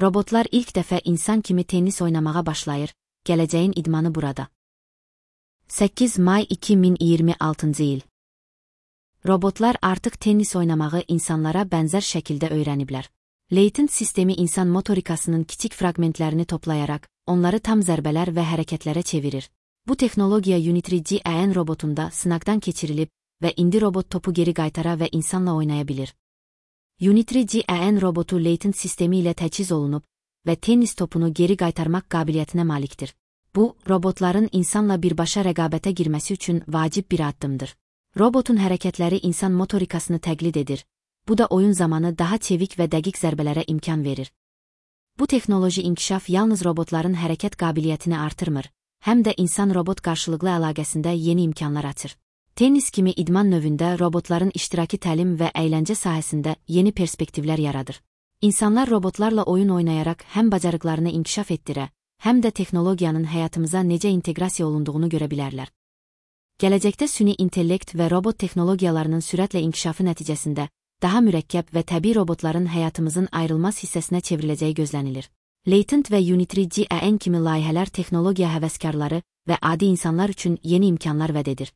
Robotlar ilk dəfə insan kimi tennis oynamağa başlayır, gələcəyin idmanı burada. 8 may 2026 il. Robotlar artıq tennis oynamağı insanlara bənzər şəkildə öyrəniblər. Latent sistemi insan motorikasının kiçik fraqmentlərini toplayaraq, onları tam zərbələr və hərəkətlərə çevirir. Bu texnologiya Unitary GAN robotunda sınaqdan keçirilib və indi robot topu geri qaytara və insanla oynaya bilir. Unitary GAN robotu latent sistemi ilə təchiz olunub və tennis topunu geri qaytarmaq qabiliyyətinə malikdir. Bu, robotların insanla birbaşa rəqabətə girməsi üçün vacib bir addımdır. Robotun hərəkətləri insan motorikasını təqlid edir. Bu da oyun zamanı daha çevik və dəqiq zərbələrə imkan verir. Bu texnoloji inkişaf yalnız robotların hərəkət qabiliyyətini artırmır, həm də insan-robot qarşılıqlı əlaqəsində yeni imkanlar açır. Tennis kimi idman növündə robotların iştiraki təlim və əyləncə sahəsində yeni perspektivlər yaradır. İnsanlar robotlarla oyun oynayaraq həm bacarıqlarını inkişaf etdirə, həm də texnologiyanın həyatımıza necə inteqrasiya olunduğunu görə bilərlər. Gələcəkdə süni intellekt və robot texnologiyalarının sürətlə inkişafı nəticəsində daha mürəkkəb və təbii robotların həyatımızın ayrılmaz hissəsinə çevriləcəyi gözlənilir. Latent və Unitary GAN kimi layihələr texnologiya həvəskarları və adi insanlar üçün yeni imkanlar vəd edir.